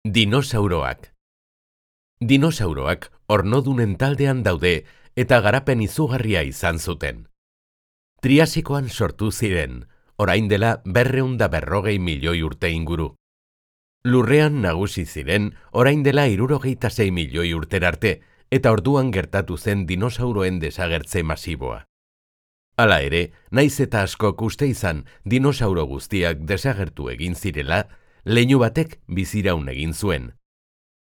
Dinosauroak. Dinosauroak ornodunen taldean daude eta garapen izugarria izan zuten. Triasikoan sortu ziren, orain dela 240 milioi urte inguru. Lurrean nagusi ziren orain dela 76 milioi urterarte eta orduan gertatu zen dinosauroen desagertze masiboa. Hala ere, naiz eta askok uste izan dinosauro guztiak desagertu egin zirela, leinu batek biziraun egin zuen.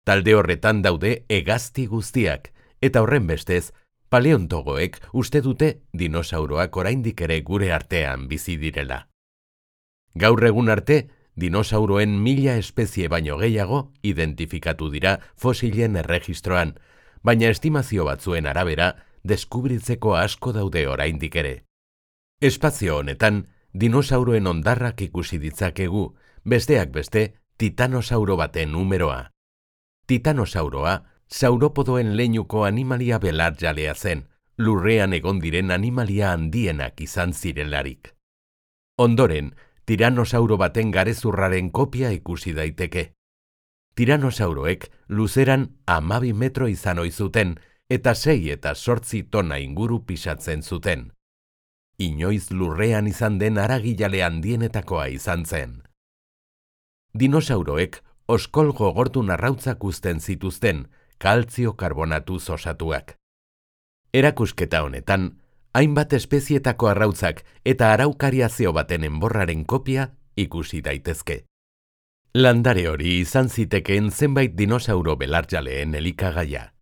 Talde horretan daude hegazti guztiak, eta horren bestez, paleontogoek uste dute dinosauroak oraindik ere gure artean bizi direla. Gaur egun arte, dinosauroen 1000 espezie baino gehiago identifikatu dira fosilen erregistroan, baina estimazio batzuen arabera, deskubritzeko asko daude oraindik ere. Espazio honetan, dinosauroen hondarrak ikusi ditzakegu, besteak beste, titanosauro baten numeroa. Titanosauroa, sauropodoen leinuko animalia belarjalea zen, lurrean egon diren animalia handienak izan zirelarik. Ondoren, tiranosauro baten garezurraren kopia ikusi daiteke. Tiranosauroek luzeran 12 metro izan ohi zuten eta 6 eta 8 tona inguru pisatzen zuten. Inoiz lurrean izan den haragijale handienetakoa izan zen. Dinosauroek oskol gogortun arrautzak uzten zituzten, kaltzio karbonatuz osatuak. Erakusketa honetan, hainbat espezietako arrautzak eta araukariazio baten enborraren kopia ikusi daitezke. Landare hori izan zitekeen zenbait dinosauro belarjaleen elikagaia.